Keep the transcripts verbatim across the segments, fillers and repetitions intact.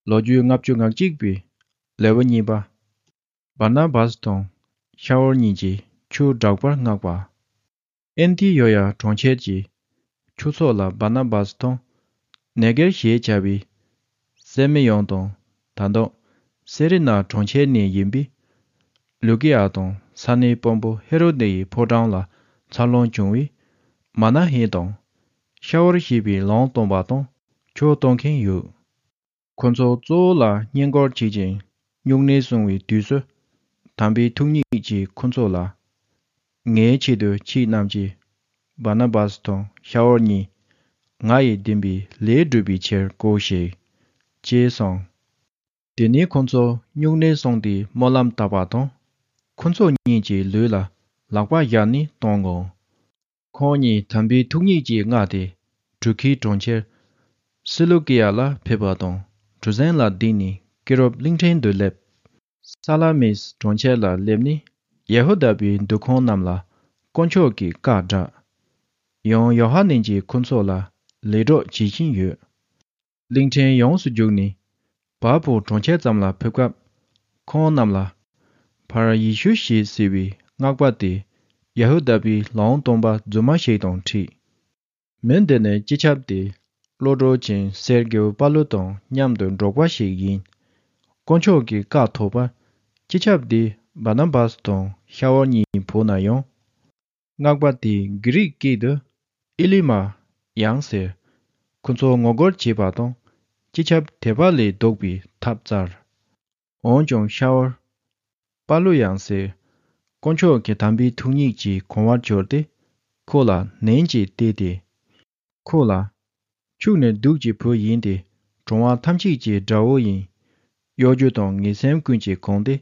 ལོ་རྒྱུས་ལྔ་བཅུ་ང་གཅིག་པའི་ལེའུ་གཉིས་པ། བར་ན་བཱས་དང་ཤ་ཝར་གཉིས་ཀྱིས་ཆོས་སྒྲོག་པར་མངགས་པ། ཨན་ཏི་ཡོ་ཡ་གྲོང་ཁྱེར་གྱི་ཆོས་ཚོགས་ལ་བར་ན་བཱས་དང་ནེ་གེར་ཞེས་བྱ་བའི་སེ་མི་ཡོན་དང་། ད་དུང་སེ་རི་ན་གྲོང་ཁྱེར་ནས་ཡིན་པའི་ལུ་ཀི་ཡ་དང་ས་གནས་དཔོན་པོ་ཧེ་རོ་དེ་ཡི་ཕོ་བྲང་ལ་འཚར་ལོངས་བྱུང་བའི་མ་ན་ཧེ་དང་ཤ་ཝར་ཞེས་པའི་ལུང་སྟོན་པ་དང་ཆོས་སྟོན་མཁན་ཡོད། ཁོ་ཚོ་གཙོ་བོ་ལ་བསྙེན་བཀུར་བྱེད་ཅིང་སྨྱུང་གནས་སྲུང་བའི་དུས་སུ། དམ་པའི་ཐུགས་ཉིད་ཀྱིས་ཁོ་ཚོ་ལ། ངའི་ཆེད་དུ་ཁྱེད་རྣམས་ཀྱིས་བར་ན་བཱས་དང་ཤ་ཝར་གཉིས་ང་ཡི་བདེན་པའི་ལས་སྒྲུབ་པའི་ཕྱིར་བཀོད་ཞིག་ཅེས་གསུངས། དེ་ནས་ཁོ་ཚོ་སྨྱུང་གནས་སྲུང་སྟེ་སྨོན་ལམ་བཏབ་པ་དང་། ཁོ་ཚོ་གཉིས་ཀྱི་ལུས་ལ་ལག་པ་བཞག་ནས་གཏོང་ངོ་། ཁོང་གཉིས་དམ་པའི་ཐུགས་ཉིད་ཀྱིས་མངགས་ཏེ་གྲུ་ཁའི་གྲོང་ཁྱེར་སི་ལུ་ཀི་ཡ་ལ་ཕེབས་པ་དང་གྲུ་གཟིངས་ལ་བསྡད་ནས་ཀི་རོབ་གླིང་ཕྲན་དུ་སླེབས། ས་ལ་མིས་གྲོང་ཁྱེར་ལ་སླེབས་ནས་ཡ་ཧུ་དཱ་པའི་འདུ་ཁང་རྣམས་ལ་དཀོན་མཆོག་གི་བཀའ་བསྒྲགས། ཡང་ཡོ་ཧ་ནན་གྱིས་ཁོ་ཚོ་ལ་ལས་གྲོགས་བྱེད་བཞིན་ཡོད། གླིང་ཕྲན་ཡོངས་སུ་རྒྱུགས་ནས་བལ་པོ་གྲོང་ཁྱེར་ཙམ་ལ་ཕེབས་སྐབས། ཁོང་རྣམས་ལ་ཕར་ཡེ་ཤུ་ཞེས་ཟེར་བའི་སྔགས་པ་དེ་ཡ་ཧུ་དཱ་པའི་ལུང་སྟོན་པ་རྫུན་མ་ཞིག་དང་འཕྲད། མི་འདི་ནི་སྤྱི་ཁྱབ་དེ་བློ་གྲོས་ཅན་སེར་གེའུ་པ་ལུ་དང་མཉམ་དུ་འགྲོགས་པ་ཞིག་ཡིན། དཀོན་མཆོག་གི་བཀའ་ཐོབ་པར་སྤྱི་ཁྱབ་དེ་བར་ན་བཱས་དང་ཤ་ཝར་གཉིས་བོས་ན་ཡང་། སྔགས་པ་དེས་གྷི་རིག་སྐད་དུ་ཨི་ལི་མ་ཡང་ཟེར། ཁོ་ཚོ་ངོ་རྒོལ་བྱས་པ་དང་སྤྱི་ཁྱབ་དད་པ་ལས་ལྡོག་པའི་ཐབས་བཙལ། འོན་ཀྱང་ཤ་ཝར་པ་ལུ་ཡང་ཟེར། དཀོན་མཆོག་གི་དམ་པའི་ཐུགས་ཉིད་ཀྱིས་གོང་བར་གྱུར་ཏེ་ཁོ་ལ་ནན་གྱིས་བལྟས་ཏེ། ཁོ་ལ། ཁྱོད་ནི་གདུགས་ཀྱི་བུ་ཡིན་ཏེ་གྲོང་བ་ཐམས་ཅད་ཀྱི་དགྲ་བོ་ཡིན། གཡོ་སྒྱུ་དང་ངན་སེམས་ཀུན་གྱིས་གང་སྟེ།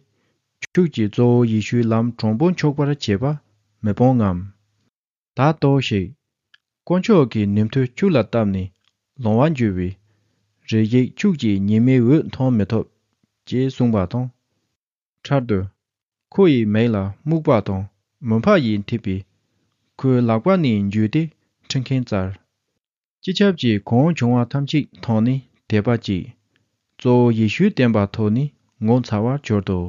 ཁྱོད་ཀྱིས་གཙོ་བོ་ཡེ་ཤུའི་ལམ་དྲང་པོ་འཁྱོག་པར་བྱེད་པ་མི་སྤང་ངམ། ད་ལྟོས་ཤིག་དཀོན་མཆོག་གིས་ནུས་མཐུ་ཁྱོད་ལ་བཏབ་ནས་ལོང་བར་འགྱུར་བའི་རེ་ཞིག་ཁྱོད་ཀྱིས་ཉི་མའི་འོད་མཐོང་མི་ཐུབ། ཅེས་གསུངས་པ་དང་། འཕྲལ་དུ་ཁོ་ཡི་མིག་ལ་སྨུག་པ་དང་མུན་པ་ཡིས་འཐིབས་པས། ཁོའི་ལག་པ་ནས་འཇུས་ཏེ་ཁྲིད་མཁན་བཙལ། སྤྱི་ཁྱབ་ཀྱིས་གང་བྱུང་བ་ཐམས་ཅད་མཐོང་ནས་དད་པ་སྐྱེས། གཙོ་བོ་ཡེ་ཤུའི་བསྟན་པ་ཐོག་ནས་ངོ་མཚར་བར་གྱུར་ཏོ།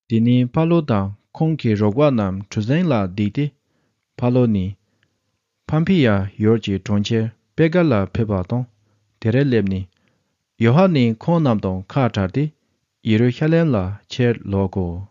དེ་ནས་ཕ་ལོ་དང་ཁོང་གི་རོགས་པ་རྣམས་གྲུ་གཟིངས་ལ་བསྡད་དེ། ཕ་ལོ་ནི་ཕམ་ཕི་ཡ་ཡུལ་གྱི་གྲོང་ཁྱེར་པེ་གར་ལ་ཕེབས་པ་དང་དེར་སླེབས་ནས། ཡོ་ཧ་ནན་ཁོང་རྣམས་དང་ཁ་བྲལ་ཏེ་ཡེ་རུ་ཤ་ལེམ་ལ་ཕྱིར་ལོག་གོ།